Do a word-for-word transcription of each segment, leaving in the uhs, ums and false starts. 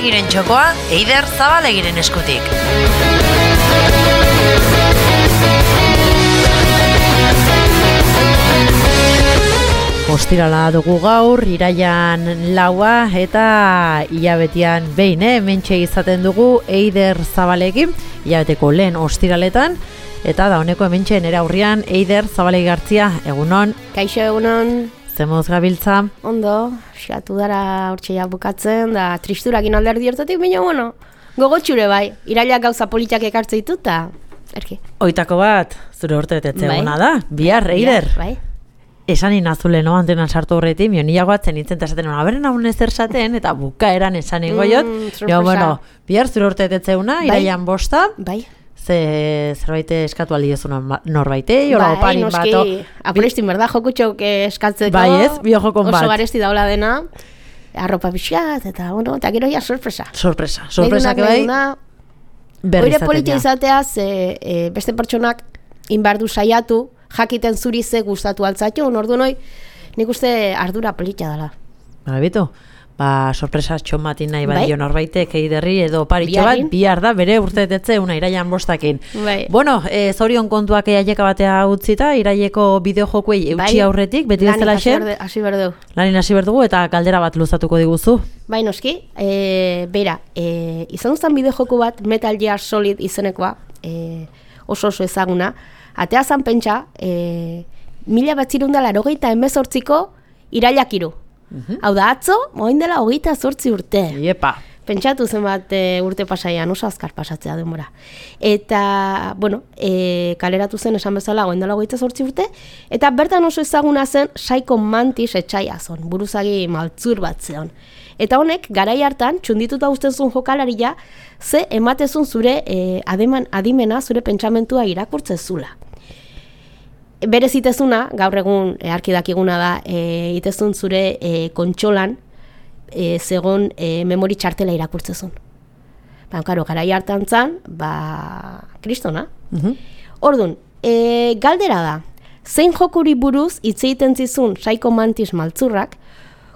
Zabalegiren txokoa, Eider Zabalegiren eskutik. Ostirala dugu gaur, iraian laua eta hilabetian behin, eh? Mentxe izaten dugu Eider Zabalekin, hilabeteko lehen ostiraletan, eta da honeko hementxe nere aurrian Eider Zabalegi Gartzia, egunon. Kaixo egunon. Zemoz gabiltza? Ondo, xatu dara hortxeia bukatzen, da tristurakin alderdi hortatik, baina bueno, gogotxure bai, irailak gauza politiak ekartze dituta, erki. Oitako bat, zure urte betetze bai. eguna da, bihar, Eider. Bai. Esan inazule no antenan sartu horretik, mio nilago atzen nintzen eta esaten, aberen hau ezer esaten, eta bukaeran esan ingoiot. Mm, jo, bueno, bihar zure urte betetze eguna, bai. iraian bosta. Bai. Ze zerbait eskatu aldiezun norbaitei, ola bai, oparin bat. Bai, noski, apurestin berda, jokutxok eskatzeko. Bai ez, biojokon bat. Oso garesti daula dena, arropa pixkat, eta bueno, eta gero ja sorpresa. Sorpresa, sorpresa que bai, berri izaten. Oire politia izatea, ze e, beste pertsonak inbardu saiatu, jakiten zuri ze gustatu altzatxo, ordu noi, nik uste ardura politia dela. Bara bitu, ba, sorpresa txomatin nahi bai. badio norbaitek eiderri edo paritxo bat, bihar da, bere urtetetze una iraian bostakin. Bai. Bueno, e, zorion kontuak eiaieka batea utzita, iraieko bideojokuei eutxi bai. Aurretik, beti bezala xe. Hasi berdu. Lanin hasi berdugu eta galdera bat luzatuko diguzu. Bai, noski, e, bera, e, izan duzan bideojoku bat, Metal Gear Solid izenekoa, e, oso oso ezaguna, atea zan pentsa, e, mila batzirunda larogeita emezortziko irailak iru. Uh-huh. Hau da, atzo, moin dela hogeita zortzi urte. Iepa. Pentsatu zenbat e, urte pasaian, oso azkar pasatzea denbora. Eta, bueno, e, kaleratu zen esan bezala goen dela hogeita zortzi urte, eta bertan oso ezaguna zen Psycho Mantis etxaia zon, buruzagi maltzur bat zeon. Eta honek, garai hartan, txundituta usten zuen jokalaria, ze ematezun zure e, ademan, adimena, zure pentsamentua irakurtze zula. Bere zitezuna, gaur egun e, arkidakiguna da, e, itezun zure e, kontxolan e, zegon e, memori txartela irakurtzezun. Ba, karo, garai hartan zan, ba, kristona. Uh-huh. Orduan, e, galdera da, zein jokuri buruz hitz egiten zizun Psycho Mantis maltzurrak,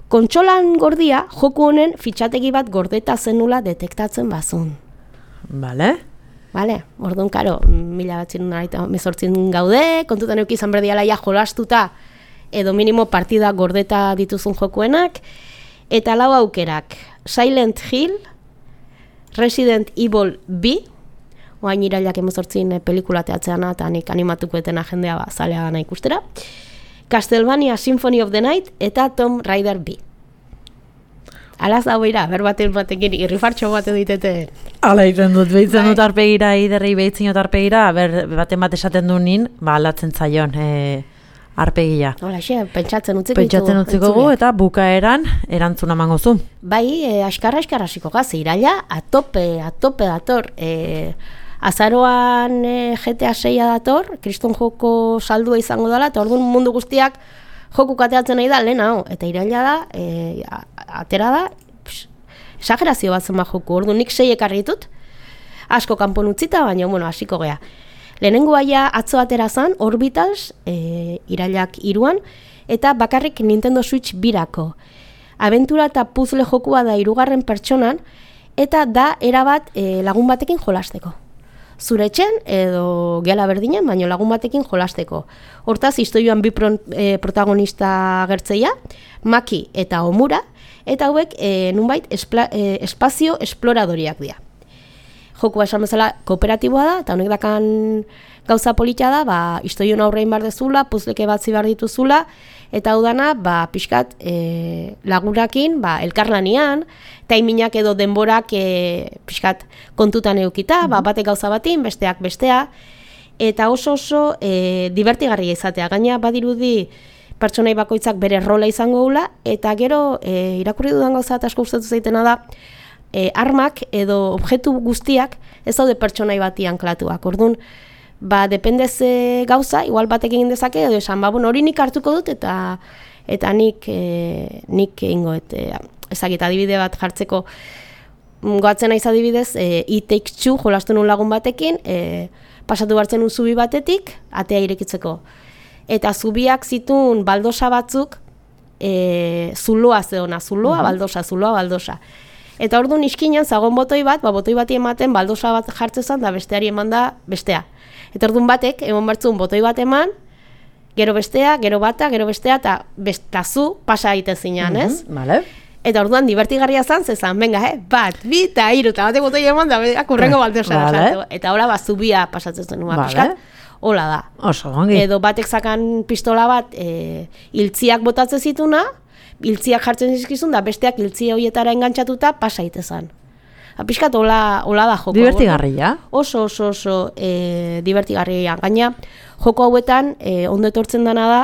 kontxolan gordia joku honen fitxategi bat gordeta zenula detektatzen bazun. Vale. Vale, orduan, karo, mila batzin mezortzin gaude, kontutan euki izan berdiala ja jolastuta, edo minimo partida gordeta dituzun jokuenak, eta lau aukerak, Silent Hill, Resident Evil bi, oain irailak emezortzin pelikula teatzeana, eta nik animatuko etena jendea ba, zalea gana ikustera, Castlevania Symphony of the Night, eta Tomb Raider bi. Alaz da beira, berbaten batekin irrifartxo bat editete. Ala iten dut, behitzen dut arpegira, iderrei behitzen dut arpegira, ber, baten bat esaten du nin, ba, alatzen zaion e, arpegia. Hola, xe, pentsatzen utziko Pentsatzen utziko gu, eta bukaeran erantzuna mango zu. Bai, e, askarra askarra hasiko gaz, iraila, atope, atope dator, e, azaroan e, G T A seia dator, kriston joko saldua izango dela, eta orduan mundu guztiak joku kateatzen nahi da, lehen hau, eta iraila da, e, atera da, pss, exagerazio bat zen joku, ordu nik sei ekarri ditut, asko kanpon utzita, baina, bueno, hasiko gea. Lehenengo aia atzo atera zan, Orbitals, e, irailak iruan, eta bakarrik Nintendo Switch birako. Abentura eta puzzle jokua da hirugarren pertsonan, eta da erabat e, lagun batekin jolasteko. Zure etxen edo gela berdinen, baino lagun batekin jolasteko. Hortaz, istoioan bi pro, e, protagonista gertzeia, Maki eta Omura, eta hauek e, nunbait espla, e, espazio esploradoriak dira. Jokua esan bezala kooperatiboa da, eta honek dakan gauza politia da, ba, istoion aurrein bar dezula, puzleke batzi bar dituzula, eta hau dana, ba, pixkat e, lagunakin, ba, elkarlanian, taiminak edo denborak e, pixkat kontutan eukita, mm-hmm. ba, batek gauza batin, besteak bestea, eta oso oso e, divertigarria izatea. Gaina badirudi pertsonai bakoitzak bere rola izango gula, eta gero e, irakurri dudan gauza eta asko gustatu zaitena da, e, armak edo objektu guztiak ez daude pertsonai bati anklatuak. Orduan, ba, depende ze gauza, igual batek egin dezake, edo esan, ba, bueno, hori nik hartuko dut, eta eta nik e, nik egingo, eta ezagit adibide bat jartzeko goatzen naiz adibidez, e, It Takes Two jolastu nun lagun batekin, e, pasatu bartzen nun zubi batetik, atea irekitzeko. Eta zubiak zituen baldosa batzuk, e, zuloa zeona, zuloa, baldosa, zuloa, baldosa. Eta orduan iskinan zagon botoi bat, ba, botoi bati ematen baldosa bat jartzezan da besteari eman da bestea. Eta orduan batek, eman bertzun botoi bat eman, gero bestea, gero bata, gero bestea, eta bestazu pasa egite zinean, ez? Mm-hmm, vale. Eta orduan divertigarria zan, zezan, venga, eh? bat, bi, eta hiru, eta batek botoi eman da, akurrengo baldosa vale. sartu. Eta hola, ba, zubia pasatzen zen, ba, Vale. piskat, hola da. Oso, ongi. Edo batek zakan pistola bat, e, iltziak botatzen zituna, iltziak jartzen zizkizun, da besteak iltzia horietara engantzatuta pasa itezan. Apiskat, hola, hola da joko. Divertigarria. Oso, oso, oso e, divertigarria. Gaina, joko hauetan, e, ondo etortzen dena da,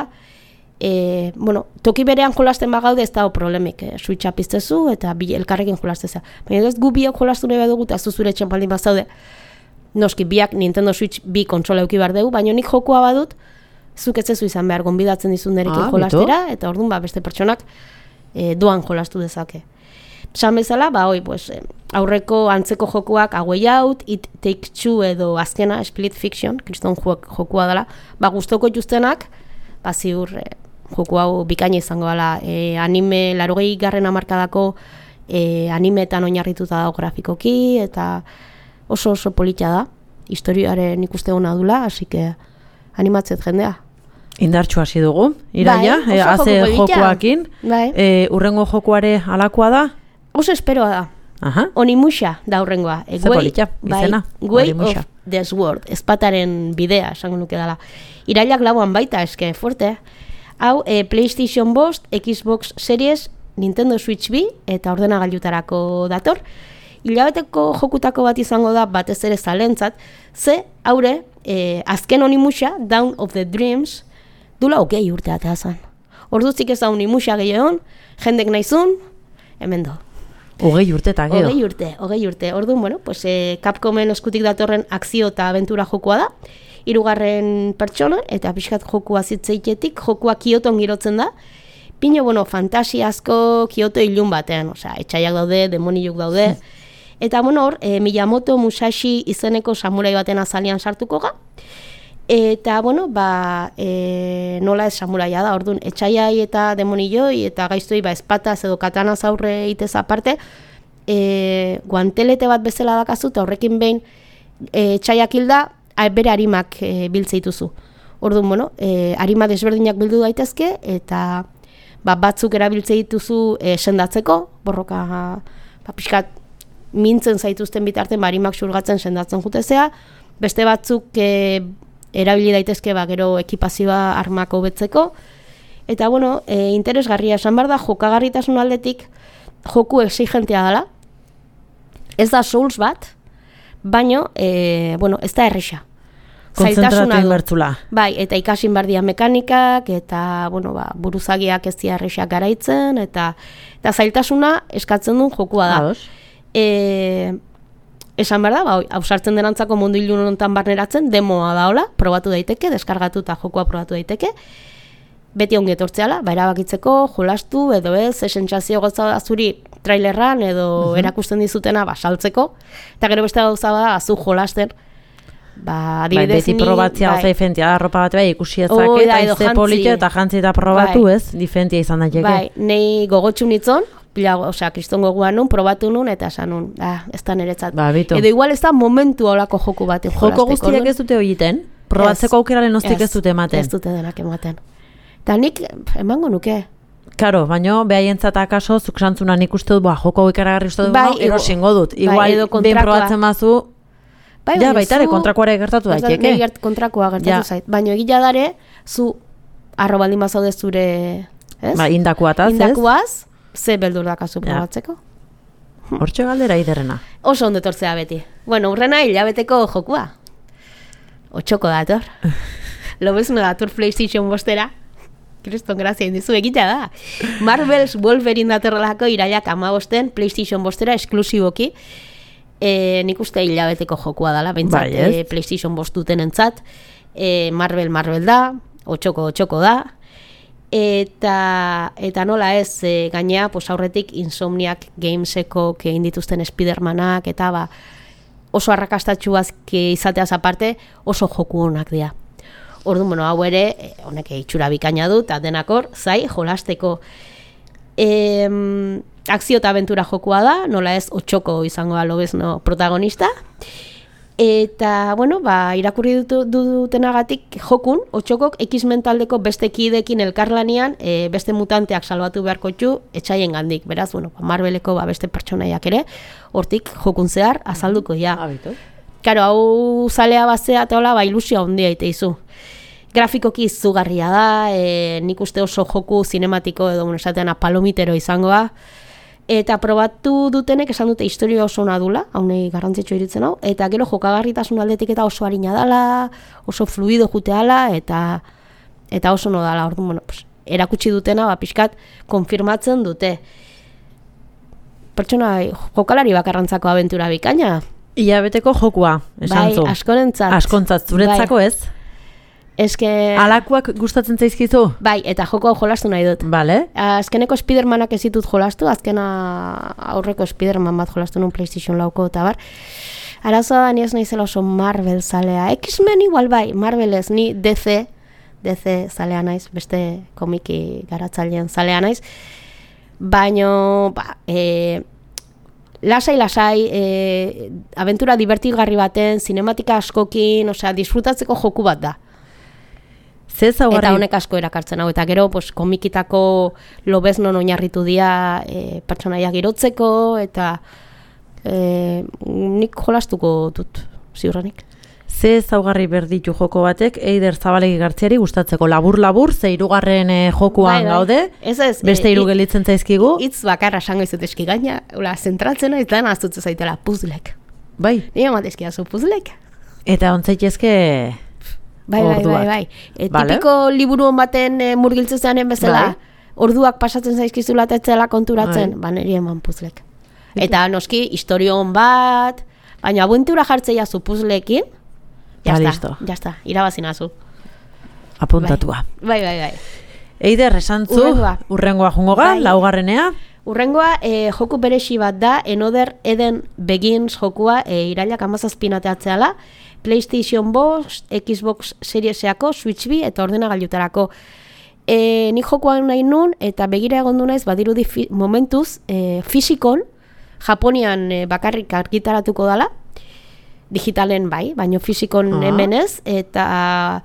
e, bueno, toki berean jolasten bagaude ez dago problemik. E, Switcha piztezu eta bi elkarrekin jolasteza. Baina ez gu biak jolastu nahi badugu eta zu zure txanpaldin bazaude. Noski, biak Nintendo Switch bi kontsola euki behar dugu, baina nik jokoa badut, zuk ez zezu izan behar, gonbidatzen dizun nerekin Ah, jolastera, eta orduan ba, beste pertsonak e, doan jolastu dezake. Esan bezala, ba, oi, pues, eh, aurreko antzeko jokuak A Way Out, It Takes Two edo azkena Split Fiction, kriston jokua dela, ba, gustoko justenak, ba, ziur eh, joku hau bikaina izango dela, eh, anime, larogei garren hamarkadako eh, animetan oinarrituta dago grafikoki, eta oso oso polita da, historiaren ikuste hona dula, hasi que animatzet jendea. Indartxu hasi dugu, iraia, Bai, e, oso haze joko polita. jokoakin. Bai. E, urrengo jokuare alakoa da? Oso esperoa da. Aha. Onimusha da horrengoa. E, Ze polita, izena, Way Onimusha. of the Sword, espataren bidea, esango nuke dela. Irailak lauan baita, eske, fuerte. Hau, e, PlayStation bost, Xbox Series, Nintendo Switch bi, eta ordenagailutarako dator. Hilabeteko jokutako bat izango da, batez ere zalentzat, ze, haure, e, azken Onimusha, Dawn of the Dreams, dula okei urte atea zan. Orduzik ez da Onimusha gehiogon, jendek nahizun, hemen do. Hogei urte eta gero. Hogei urte, hogei urte. Orduan, bueno, pues, eh, Capcomen eskutik datorren akzio eta abentura jokoa da. Hirugarren pertsona, eta pixkat jokua zitzeitetik, jokua Kyoton girotzen da. Pino, bueno, fantasiazko Kyoto ilun batean, osea, etxaiak daude, demoniluk daude. Eta, bueno, hor, eh, Miyamoto Musashi izeneko samurai baten azalian sartuko ga. Eta, bueno, ba, e, nola ez samuraia da, orduan, etxaiai eta demonilloi eta gaiztoi, ba, espataz edo katanaz aurre itez aparte, e, guantelete bat bezala dakazu, eta horrekin behin e, etxaiak hilda, bere harimak e, biltzeituzu. Orduan, bueno, e, harima desberdinak bildu daitezke, eta ba, batzuk erabiltze dituzu e, sendatzeko, borroka, ba, pixkat, mintzen zaituzten bitarten, ba, harimak xurgatzen sendatzen jutezea, beste batzuk e, erabili daitezke ba, gero ekipazioa armako betzeko. Eta, bueno, e, interesgarria esan behar da, jokagarritasun aldetik joku exigentea dela. Ez da Souls bat, baino, e, bueno, ez da erresa. Kontzentratu inbertzula. Bai, eta ikasin behar dira mekanikak, eta, bueno, ba, buruzagiak ez dira erresak garaitzen, eta, eta zailtasuna eskatzen duen jokua da. Ados. E, Esan behar da, ba, hausartzen denantzako mundu ilun honetan barneratzen, demoa da hola, probatu daiteke, deskargatu eta jokoa probatu daiteke. Beti ongi etortzeala, ba, erabakitzeko, jolastu, edo ez, esentzazio gotza da zuri trailerran, edo uh-huh. erakusten dizutena, ba, saltzeko. Eta gero beste gauza da, zu jolasten. Ba, adibidez, bai, beti probatzea, bai. Oza, difentia, arropa bat bai, ikusi ezake, oh, eta izte polito, eta jantzi eta probatu, bai. Ez, difentia izan daiteke. Bai, nei gogotxu nitzon, pila, osea, kriston gogoa nun, probatu nun, eta esan nun, ah, ez da niretzat. Ba, edo igual ez da momentu holako joku baten jolasteko. Joko guztiak ez dute horiten, probatzeko aukeraren oztik ez dute ematen. Ez dute denak ematen. Eta nik emango nuke. Karo, baino, behaientzat akaso, zuk santzuna nik uste dut, ba, joko ikaragarri uste dut, bai, no, erosingo dut. Igual, bai, behin probatzen bazu, bai, ja, baita ere, kontrakoare gertatu daiteke. Gert, kontrakoa gertatu ja. Zait. Baina egila dare, zu arro baldin bazaude zure, ez? Ba, indakuataz, ez? Indakuaz, ze beldur dakazu probatzeko. Ja. Hortxe galdera iderrena. Oso ondo etortzea beti. Bueno, urrena hilabeteko jokua. Otxoko dator. Lobezuna dator PlayStation bostera. Kriston grazia indizu egitea da. Marvel's Wolverine datorrelako irailak amabosten PlayStation bostera esklusiboki. E, nik uste hilabeteko jokua dela, bentsat, bai, e, PlayStation bost duten entzat. E, Marvel, Marvel da, otxoko, otxoko da. Eta, eta nola ez, e, gainea, pues aurretik Insomniac Gameseko egin dituzten Spidermanak, eta ba, oso arrakastatxuak izateaz aparte, oso joku honak dira. Orduan, bueno, hau ere, honek itxura bikaina du, eta denakor, zai, jolasteko. E, akzio eta abentura jokua da, nola ez otxoko izango da lobezno protagonista. Eta, bueno, ba, irakurri dut, dutenagatik jokun, otxokok X-Men taldeko beste kidekin elkarlanian e, beste mutanteak salbatu beharko txu etxaien gandik. Beraz, bueno, ba, Marveleko ba, beste pertsonaiak ere, hortik jokun zehar azalduko ja. Habitu. Karo, hau zalea bazea eta hola, ba, ilusia handia ite izu. Grafikoki izugarria da, e, nik uste oso joku zinematiko edo esatean palomitero izangoa. Eta probatu dutenek esan dute historia oso ona dula, haunei garrantzitsu iritzen hau, eta gero jokagarritasun aldetik eta oso harina dala, oso fluido juteala, eta eta oso no dala, orduan, bueno, pues, erakutsi dutena, ba, pixkat, konfirmatzen dute. Pertsona, jokalari bakarrantzako abentura bikaina. Ilabeteko jokua, esan zu. Bai, askorentzat. Askontzat, zuretzako bai. ez? Eske... Alakoak gustatzen zaizkizu? Bai, eta joko hau jolastu nahi dut. Vale. Azkeneko Spidermanak ez ditut jolastu, azkena aurreko Spiderman bat jolastu nun PlayStation lauko eta bar. Arazoa da ni ez naizela oso Marvel zalea. X-Men igual bai, Marvel ez, ni D C, D C zalea naiz, beste komiki garatzailean zalea naiz. Baino, ba, e, lasai-lasai, e, abentura divertigarri baten, sinematika askokin, osea, disfrutatzeko joku bat da. Eta honek asko erakartzen hau, eta gero pues, komikitako lobeznon oinarritu dira e, pertsonaiak girotzeko, eta e, nik jolastuko dut, ziurrenik. Ze ezaugarri berditu joko batek Eider Zabalegi Gartziari gustatzeko labur-labur, ze hirugarren e, jokuan bai, bai. Gaude, ez ez, beste hiru gelitzen zaizkigu. Hitz bakarra esango izut eski gaina, zentratzen ez da naztutze zaitela puzlek. Bai. Ni ematezkia zu puzlek. Eta ontzaitezke... Bai, bai, bai, bai. E, vale. Tipiko liburu hon baten e, murgiltzezanen bezala, bai. Orduak pasatzen zaizkizula tetzela konturatzen, bai. Ba, niri eman puzlek. Eta noski, historio hon bat, baina abentura jartzea zu puzlekin, jazta, jazta, irabazinazu. Apuntatua. Bai, bai, bai. Eider, esantzu, urrengoa, urrengoa jungo ga, bai. Laugarrenea. Urrengoa, e, joku beresi bat da, Another Eden Begins jokua, e, irailak amazazpinateatzeala, PlayStation bost, Xbox Serieseko, Switch bi eta ordenagailutarako. E, nik jokoan nahi nun, eta begira egondu naiz, badirudi fi, momentuz, e, fisikon, Japonian e, bakarrik argitaratuko dala, digitalen bai, baino fisikon uh-huh. hemen ez, eta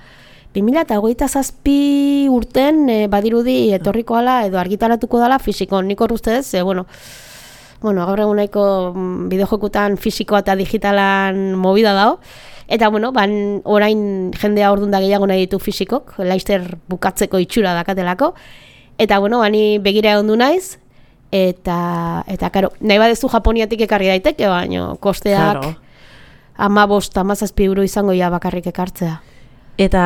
bi mila hogeita zazpi urten e, badirudi etorriko ala edo argitaratuko dala fisikon. Nik hor ustez, e, bueno, bueno, gaur egun nahiko bideojokutan fisikoa eta digitalan movida dago. Eta, bueno, ban, orain jendea orduan da gehiago nahi ditu fisikok, laizter bukatzeko itxura dakatelako. Eta, bueno, bani begira egon du naiz, eta, eta karo, nahi badezu Japoniatik ekarri daiteke, baino, kosteak claro. ama bost, ama zazpi euro izango ja bakarrik ekartzea. Eta,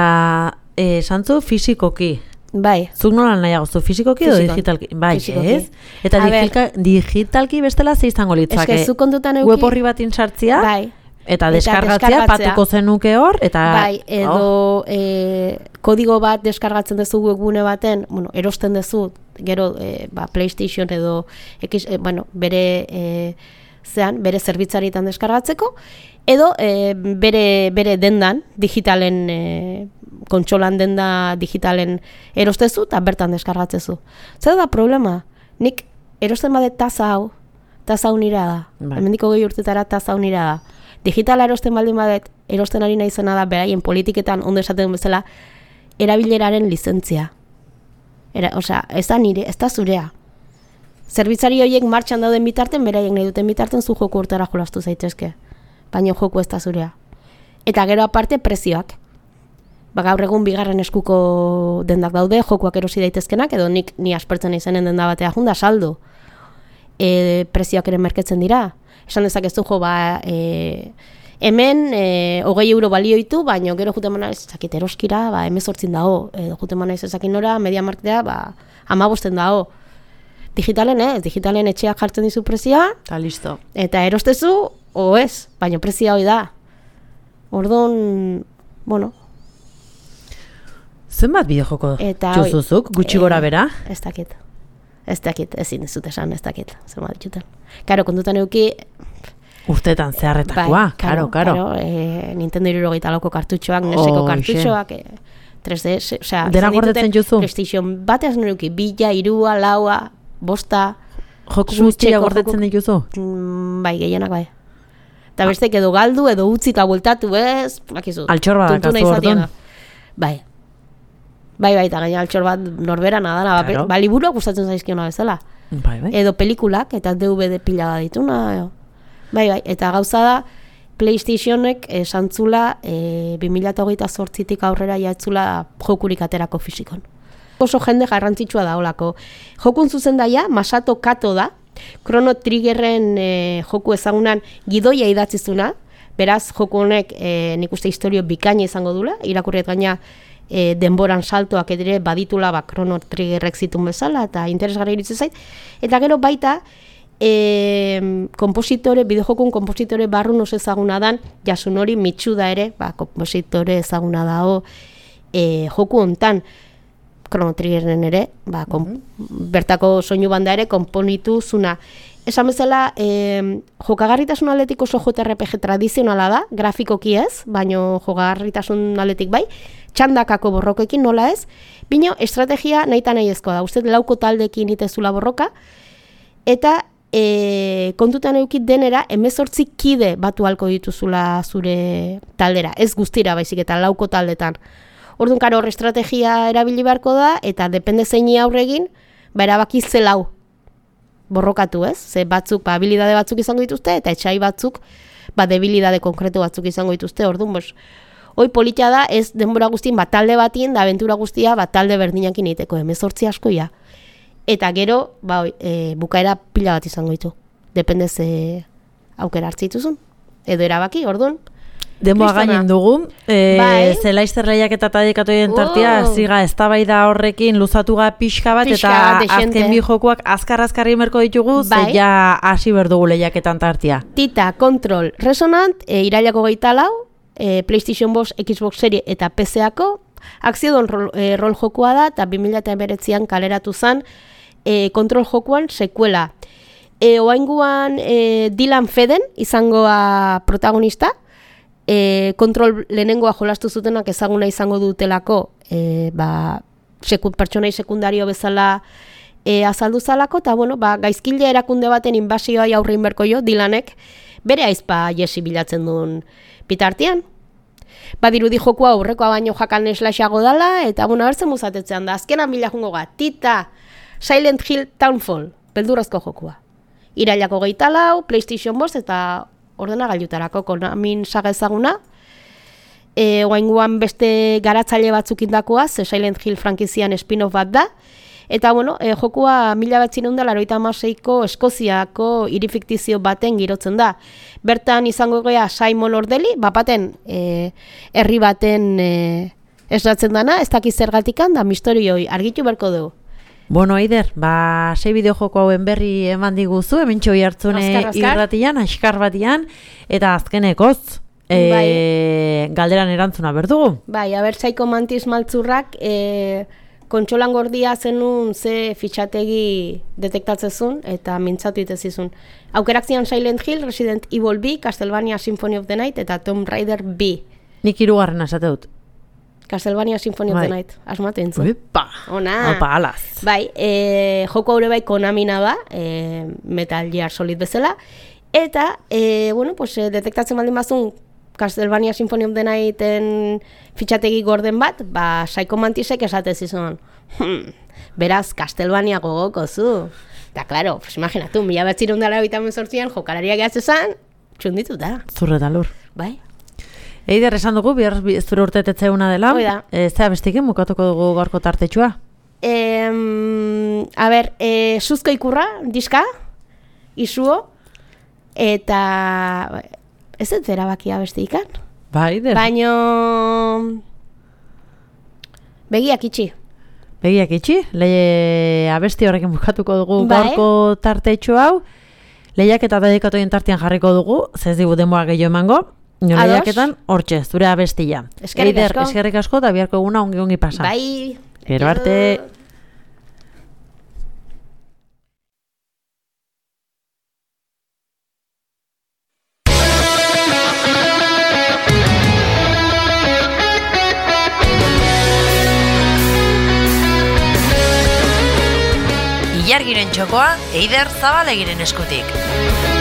eh, santzu fisikoki. Bai. Zuk nola nahiago zu, fisikoki edo digitalki? Bai, fisikoki. Ez? Eta digitalki, digitalki bestela ze izango litzake? Ez que zuk kontutan euki... Web horri bat intzartzia? Bai. Eta deskargatzea, patuko zenuke hor, eta... Bai, edo oh. e, kodigo bat deskargatzen dezu webgune baten, bueno, erosten dezu, gero e, ba, PlayStation edo, X, e, bueno, bere, e, zean, bere zerbitzaritan deskargatzeko, edo e, bere, bere dendan, digitalen, e, kontsolan denda digitalen erostezu, eta bertan deskargatzezu. Zer da problema? Nik erosten bade taza hau, taza hau nira da. Bai. Hemendiko gehi urtetara taza hau nira da. Digitala erosten baldin badet, erosten ari naizena da, beraien politiketan ondo esaten bezala, erabileraren lizentzia. Era, osea, ez da nire, ez da zurea. Zerbitzari horiek martxan dauden bitarten, beraiek nahi duten bitarten zu joku urtera jolastu zaitezke. Baina joku ez da zurea. Eta gero aparte prezioak. Ba, gaur egun bigarren eskuko dendak daude, jokuak erosi daitezkenak, edo nik ni aspertzen izenen denda batea junda saldo. E, prezioak ere merketzen dira. Esan dezakezu jo, ba, e, hemen e, hogei euro balioitu, baina gero jute mana ez ezakit eroskira, ba, emezortzin dago, edo jute mana ez ezakin nora, media marketea, ba, amabosten dago. Digitalen, ez, digitalen etxeak jartzen dizu prezioa, eta listo. Eta erostezu, o ez, baina prezioa hoi da. Orduan, bueno. Zenbat bideojoko txuzuzuk, gutxi gora bera? Ez dakit. Ez dakit, ezin ez dut esan, ez dakit, zer bat dituten. Karo, kontutan euki... Urtetan zeharretakoa, bai, karo, karo. karo e, Nintendo hirurogeita lauko kartutxoak, neseko oh, kartutxoak, e, tres D, osea... Dena gordetzen juzu? PlayStation bateaz nuruki, bila, irua, laua, bosta... Joko guztia gordetzen dituzu? Mm, bai, gehienak bai. Eta bestek edo galdu, edo utzi eta bueltatu, ez? Bakizu. Altxor bat dakazu orduan. Bai. Bai, bai, eta gaina altxor bat norbera nadana. Claro. Ba, liburuak gustatzen zaizkiona bezala. Bai, bai. Edo pelikulak, eta D V D pila bat dituna. Bai, bai, eta gauza da, PlayStationek esantzula e, bi mila hogeita zortzitik aurrera jaetzula jokurik aterako fisikon. Oso jende garrantzitsua da olako. Jokun zuzendaia, Masato Kato da, Chrono Triggerren e, joku ezagunan gidoia idatzizuna, beraz, joku honek e, nik uste historio bikaina izango dula, irakurriet gaina e, denboran saltoak edire baditula ba, Chrono Triggerrek zitun bezala, eta interesgarri iritzen zait. Eta gero baita, e, kompositore, bideojokun kompositore barrun oso ezaguna dan, Yasunori Mitsuda ere, ba, kompositore ezaguna dago e, joku hontan, Chrono Triggerren ere, ba, kom, bertako soinu banda ere konponitu zuna. Esan bezala, e, jokagarritasun aldetik oso J R P G tradizionala da, grafikoki ez, baino jokagarritasun aldetik bai, txandakako borrokekin nola ez, bino estrategia nahi eta nahi ezkoa da, uste lauko taldekin itezula borroka, eta e, kontutan eukit denera, hemezortzi kide batu halko dituzula zure taldera, ez guztira baizik eta lauko taldetan. Orduan, karo, hor estrategia erabili beharko da, eta depende zeini aurregin, ba, erabaki zelau borrokatu, ez? Ze batzuk, ba, habilidade batzuk izango dituzte, eta etxai batzuk, ba, debilidade konkretu batzuk izango dituzte. Orduan, bos, hoi politia da, ez denbora guztien, ba, talde batien, da aventura guztia, ba, talde berdinakin egiteko, hemezortzi askoia. Eta gero, ba, e, bukaera pila bat izango ditu. Depende ze aukera hartzituzun. Edo erabaki, orduan. Demoa gainen dugu, e, bai. Zelaizter lehiak eta tadikatoien tartia, Oh. ziga eztabaida horrekin luzatuga pixka bat, Pixka eta bat, azken dexente. bi jokuak azkar-azkarri merko ditugu, Bai. ze ja hasi berdugu lehiaketan tartia. Tita, Control, Resonant, e, irailako geita lau, e, PlayStation bost, Xbox Series eta P C-ako, akziodon rol, e, rol jokua da, eta bi mila hemeretzian kaleratu zen e, Control jokuan sekuela. E, oainguan e, Dylan Feden izangoa protagonista, E, kontrol lehenengoa jolastu zutenak ezaguna izango dutelako e, ba, seku, pertsonai sekundario bezala e, azaldu zalako, eta bueno, ba, gaizkile erakunde baten inbasioa aurrein berko jo, Dylanek bere aizpa Jesse bilatzen duen bitartean. Badirudi jokua aurrekoa baino jakan eslaxago dala, eta bueno, abertzen muzatetzean da, azkenan bila jungo ga, Tita, Silent Hill Townfall, beldurrazko jokua. Irailako geita lau, PlayStation bost eta ordenagailutarako Konamin saga ezaguna. E, oainguan beste garatzaile batzuk indakoa, ze Silent Hill frankizian spin-off bat da. Eta bueno, e, jokua mila batzineun da laurogeita hamaseiko Eskoziako hiri fiktizio baten girotzen da. Bertan izango gea Simon Ordeli, bapaten e, herri baten e, esnatzen dana, ez dakiz zergatikan, da misterioi argitu berko dugu. Bueno, Aider, ba, sei bideojoko hauen berri eman diguzu, hemen txoi hartzune irratian, askar batian, eta azkenekoz, e, bai. galderan erantzuna berdugu. Bai, aber Psycho Mantis maltzurrak, e, kontsolan gordia zenun ze fitxategi detektatzezun, eta mintzatu itezizun. Aukerak zian Silent Hill, Resident Evil bi, Castlevania Symphony of the Night, eta Tomb Raider bi. Nik hirugarren esate dut. Castlevania Symphony of the Night, asmatu entzun. Uipa, Ona. Opa, alaz. Bai, e, joko haure bai Konamina da, e, Metal Gear Solid bezala, eta, e, bueno, pues, e, detektatzen baldin bazun Castlevania Symphony of the Nighten fitxategi gorden bat, ba, Psycho Mantisek esatez izan, hm, beraz, Castlevania gogoko zu. Eta, claro, pues, imaginatu, mila betzirun dara bitamen sortzian, jokalariak gehatzezan, txunditu da. Zurreta lur. Bai. Eider, esan dugu, bihar zure urtetetzeuna dela. Oida. E, zea bestikin, mukatuko dugu gorko tartetxua. E, a ber, e, suzko ikurra, diska, isuo, eta ez ez erabakia beste ikan. Ba, Eider. Baino begiak itxi. Begiak itxi, lehe abesti horrekin bukatuko dugu Bai. gorko tartetxo hau. Lehiak eta dedikatoien tartean jarriko dugu, zez digu denboa gehiago emango. Nio lehiaketan, hortxe, zure abestia. Eskerrik Eider, asko. eskerrik asko, eta biharko eguna ongi-ongi pasa. Bai. Gero arte. Ilargiren txokoa Eider Zabalegiren eskutik.